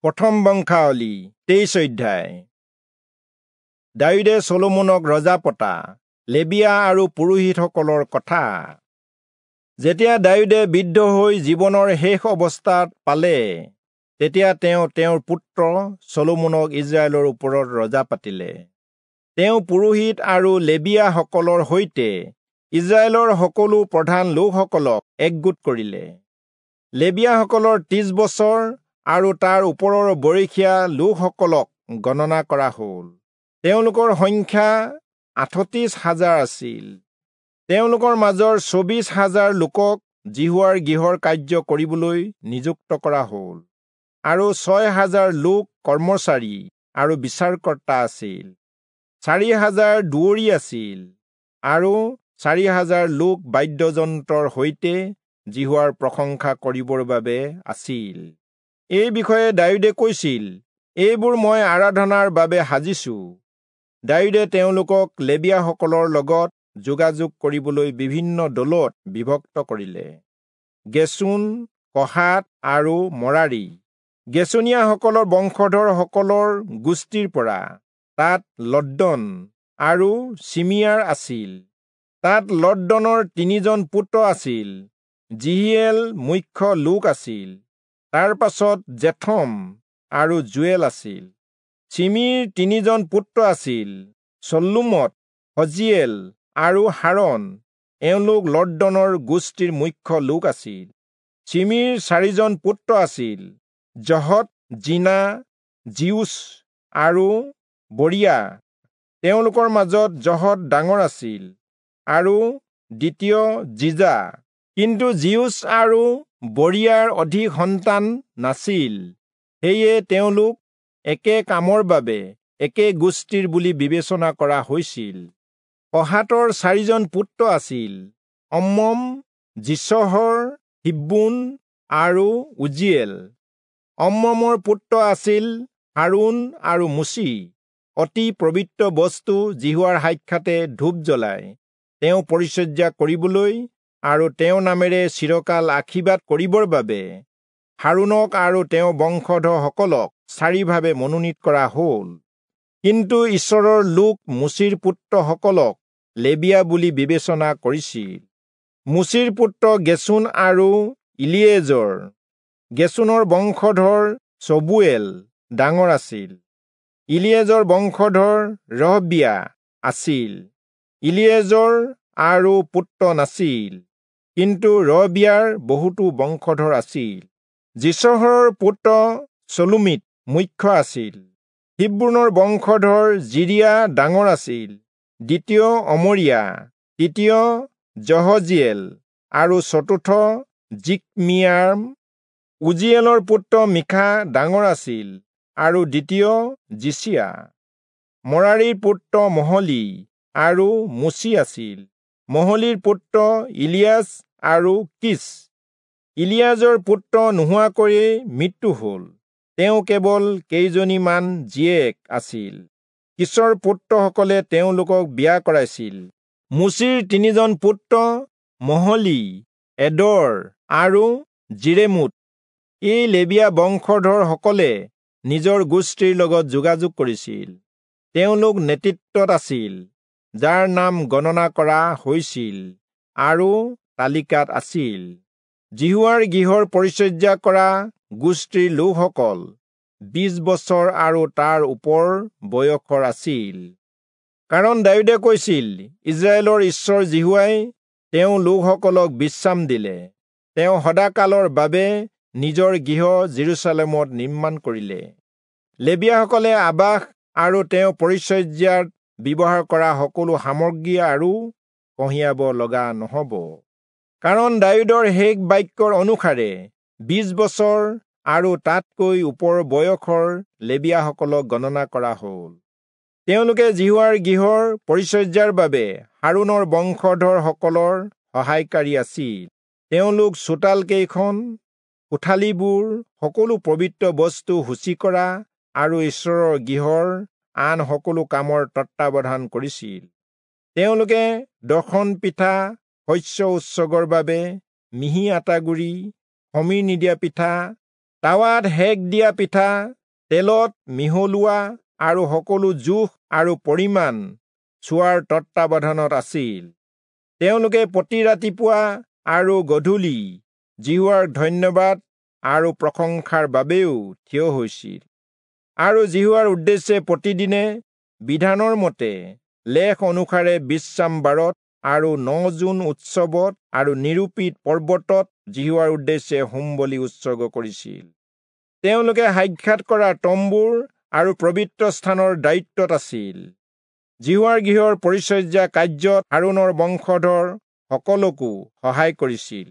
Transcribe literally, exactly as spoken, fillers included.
প্ৰথম বংশাৱলী তেইশ অধ্যায়। দায়ূদে চলোমনক ৰজা পতা লেবিয়া আৰু পুৰোহিতসকলৰ কথা। যেতিয়া দায়ূদে বৃদ্ধ হৈ জীৱনৰ শেষ অৱস্থাত পালে, তেতিয়া তেওঁ তেওঁৰ পুত্ৰ চলোমনক ইজৰাইলৰ ওপৰত ৰজা পাতিলে। তেওঁ পুৰোহিত আৰু লেবিয়াসকলৰ সৈতে ইজৰাইলৰ সকলো প্ৰধান লোকসকলক একগোট কৰিলে। লেবিয়াসকলৰ ত্ৰিশ বছৰ আৰু তাৰ ওপৰৰ বয়সীয়া লোকসকলক গণনা কৰা হ'ল। তেওঁলোকৰ সংখ্যা আঠত্ৰিশ হাজাৰ আছিল। তেওঁলোকৰ মাজৰ চৌবিশ হাজাৰ লোকক যিহোৱাৰ গৃহৰ কাৰ্য কৰিবলৈ নিযুক্ত কৰা হ'ল আৰু ছয় হাজাৰ লোক কৰ্মচাৰী আৰু বিচাৰকৰ্তা আছিল। চাৰি হাজাৰ দুৱৰী আছিল আৰু চাৰি হাজাৰ লোক বাদ্যযন্ত্ৰৰ সৈতে যিহোৱাৰ প্ৰশংসা কৰিবৰ বাবে আছিল। এই বিষয়ে দায়ূদে কৈছিল, এইবোৰ মই আৰাধনাৰ বাবে সাজিছো। দায়ূদে তেওঁলোকক লেবিয়াসকলৰ লগত যোগাযোগ কৰিবলৈ বিভিন্ন দলত বিভক্ত কৰিলে। গেচোন, কহাত আৰু মৰাৰী গেচোনীয়াসকলৰ বংশধৰসকলৰ গোষ্ঠীৰ পৰা তাত লদ্দন আৰু চিমিয়াৰ আছিল। তাত লদ্দনৰ তিনিজন পুত্ৰ আছিল। যিহিয়েল মুখ্য লোক আছিল, তাৰ পাছত জেথম আৰু জুৱেল আছিল। চিমিৰ তিনিজন পুত্ৰ আছিল, চল্লুমত, হজিয়েল আৰু হাৰণ। এওঁলোক লদ্দনৰ গোষ্ঠীৰ মুখ্য লোক আছিল। চিমিৰ চাৰিজন পুত্ৰ আছিল, জহত, জিনা, জিউচ আৰু বৰিয়া। তেওঁলোকৰ মাজত জহত ডাঙৰ আছিল আৰু দ্বিতীয় জিজা। কিন্তু জিউচ আৰু বৰিয়াৰ অধিক সন্তান নাছিল, সেয়ে তেওঁলোক একে কামৰ বাবে একে গোষ্ঠীৰ বুলি বিবেচনা কৰা হৈছিল। কহাতৰ চাৰিজন পুত্ৰ আছিল, অম্মম, যিচহৰ, হিব্বোন আৰু উজিয়েল। অম্মমৰ পুত্ৰ আছিল হাৰোণ আৰু মোচি। অতি পবিত্ৰ বস্তু যিহোৱাৰ সাক্ষাতে ধূপ জ্বলাই তেওঁ পৰিচৰ্যা কৰিবলৈ আৰু তেওঁৰ নামেৰে চিৰকাল আশীৰ্বাদ কৰিবৰ বাবে হাৰোণক আৰু তেওঁৰ বংশধৰসকলক চাৰিভাৱে মনোনীত কৰা হ'ল। কিন্তু ঈশ্বৰৰ লোক মোচিৰ পুত্ৰসকলক লেবিয়া বুলি বিবেচনা কৰিছিল। মোচিৰ পুত্ৰ গেচোন আৰু ইলিয়েজৰ। গেচোনৰ বংশধৰ চবুৱেল ডাঙৰ আছিল। ইলিয়েজৰ বংশধৰ ৰহবিয়া আছিল। ইলিয়েজৰ আৰু পুত্ৰ নাছিল, কিন্তু ৰহবিয়াৰ বহুতো বংশধৰ আছিল। যিচহৰৰ পুত্ৰ চলোমিত মুখ্য আছিল। হিব্ৰোনৰ বংশধৰ জিৰিয়া ডাঙৰ আছিল, দ্বিতীয় অমৰিয়া, তৃতীয় যহজিয়েল আৰু চতুৰ্থ জিকমিয়াম। উজিয়েলৰ পুত্ৰ মিখা ডাঙৰ আছিল আৰু দ্বিতীয় যিচিয়া। মৰাৰীৰ পুত্ৰ মহলি আৰু মোচি আছিল। মহলিৰ পুত্ৰ ইলিয়াছ আৰু কিচ। ইলিয়াজৰ পুত্ৰ নোহোৱাকৈয়ে মৃত্যু হ'ল। তেওঁ কেৱল কেইজনীমান জীয়েক আছিল। কিচৰ পুত্ৰসকলে তেওঁলোকক বিয়া কৰাইছিল। মোচিৰ তিনিজন পুত্ৰ মহলি, এদৰ আৰু জিৰেমোত। এই লেবিয়া বংশধৰসকলে নিজৰ গোষ্ঠীৰ লগত যোগাযোগ কৰিছিল। তেওঁলোক নেতৃত্বত আছিল, যাৰ নাম গণনা কৰা হৈছিল আৰু তালিকাত আছিল। যিহোৱাৰ গৃহৰ পৰিচৰ্যা কৰা গোষ্ঠীৰ লোকসকল বিশ বছৰ আৰু তাৰ ওপৰ বয়সৰ আছিল। কাৰণ দায়ূদে কৈছিল, ইজৰাইলৰ ঈশ্বৰ যিহোৱাই তেওঁ লোকসকলক বিশ্ৰাম দিলে। তেওঁ সদাকালৰ বাবে নিজৰ গৃহ যিৰূচালেমত নিৰ্মাণ কৰিলে। লেবিয়াসকলে আবাস আৰু তেওঁ পৰিচৰ্যাত ব্যৱহাৰ কৰা সকলো সামগ্ৰী আৰু কঢ়িয়াব লগা নহ'ব। কাৰণ দায়ূদৰ শেষ বাক্যৰ অনুসাৰে বিশ বছৰ আৰু তাতকৈ ওপৰ বয়সৰ লেবিয়াসকলক গণনা কৰা হ'ল। তেওঁলোকে যিহোৱাৰ গৃহৰ পৰিচৰ্যাৰ বাবে হাৰোণৰ বংশধৰসকলৰ সহায়কাৰী আছিল। তেওঁলোক চোতাল কেইখন, কোঠালিবোৰ, সকলো পবিত্ৰ বস্তু সূচী কৰা আৰু ঈশ্বৰৰ গৃহৰ আন সকলো কামৰ তত্বাৱধান কৰিছিল। তেওঁলোকে দৰ্শন পিঠা, শস্য উৎসৰ্গৰ বাবে মিহি আটাগুড়ি, খমিৰ নিদিয়া পিঠা, তাৱাত সেক দিয়া পিঠা, তেলত মিহলোৱা আৰু সকলো জোখ আৰু পৰিমাণ চোৱাৰ তত্বাৱধানত আছিল। তেওঁলোকে প্ৰতি ৰাতিপুৱা আৰু গধূলি যিহোৱাৰ ধন্যবাদ আৰু প্ৰশংসাৰ বাবেও থিয় হৈছিল, আৰু যিহোৱাৰ উদ্দেশ্যে প্ৰতিদিনে বিধানৰ মতে লেখ অনুসাৰে বিশ্ৰাম বাৰত আৰু ন-জোন উৎসৱত আৰু নিৰূপিত পৰ্বতত যিহোৱাৰ উদ্দেশ্যে হোম-বলি উৎসৰ্গ কৰিছিল। তেওঁলোকে সাক্ষাৎ কৰা তম্বুৰ আৰু পবিত্ৰ স্থানৰ দায়িত্বত আছিল। যিহোৱাৰ গৃহৰ পৰিচৰ্যা কাৰ্যত হাৰোণৰ বংশধৰ সকলকো সহায় কৰিছিল।